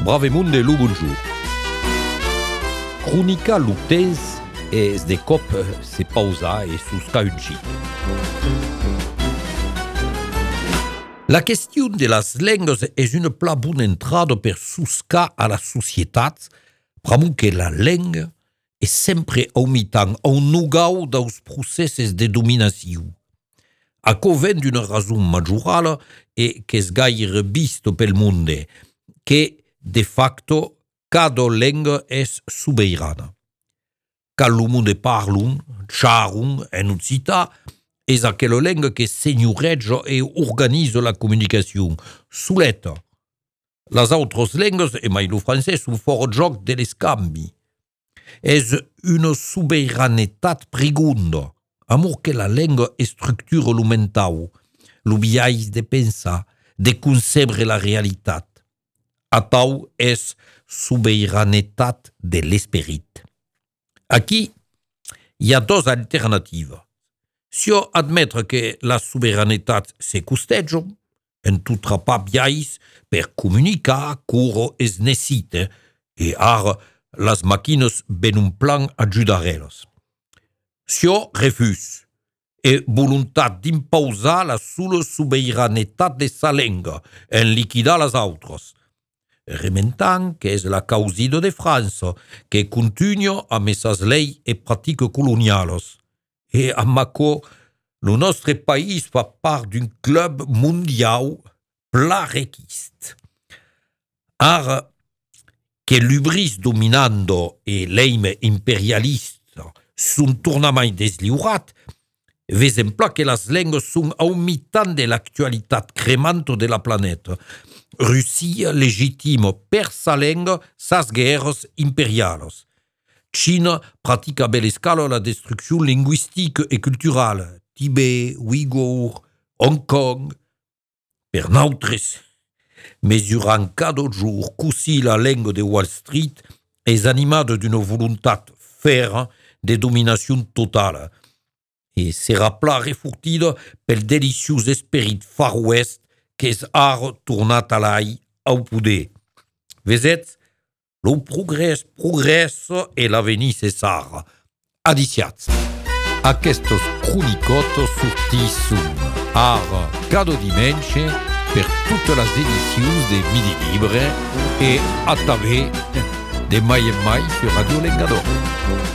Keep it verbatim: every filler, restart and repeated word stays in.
Bravemunde lo bonjour. Cronica lutens es de cop se pausa e susca un chit. La question de las lengues és una pla bona entrada per suscar a la societat, pramu que la lenga és sempre aumitant un nugau dels processos de dominació. Aquò ven d'una rason majorala e qu'és gaire vist pel monde, que, de facto, cada lenga és soberana. Quand lo monde parlun, charun en occità, és aquella lenga que senyoreja e organisa la comunicació, soleta. Les altres lengues, e mai lo francès, són fora joc de l'escambi. És una soberanetat pregonda, amor que la lenga estructura lo mental, lo biais de pensar, de concebre la realitat. Atau és soberanetat de l'esperit. Aquí hi ha dos alternatives. Si on admetre que la soberanetat se costeja, en tutra pa biais per comunicar cura es necessita, e ara las màquines ben un plan ajudarelles. Si on refus, e voluntat d'imposar la sola soberanetat de sa lenga en liquidar les altres, rementant que és la causida de França, que continua amb esas leis e pratiques coloniales. E amb aquò, el nostre país fa part d'un club mundial pla requist. Ara, que l'ubris dominando e l'eime imperialista són tornament deslliurat, vesem pla que les lengues són a un mitant de l'actualitat cremante de la planeta. Russia legitima per sa lenga sas guerres imperiales. China pratica a bella escala la destrucció linguistica e culturale. Tibet, Uyghur, Hong Kong. Per nautres, mesurant cada jour così la lenga de Wall Street és animada d'una voluntat ferra de dominació totala. E serà pla refurtida pel deliciós esperit Far West que és ara tornat a l'ai au poder. Vesetz, lo progrés progressa e l'avenir cessara. Adiciats. Aquestes cronicotes sortisson ara cada dimenche per totes les edicions de Midi Libre e a també de mai en mai sur Radio Lengador.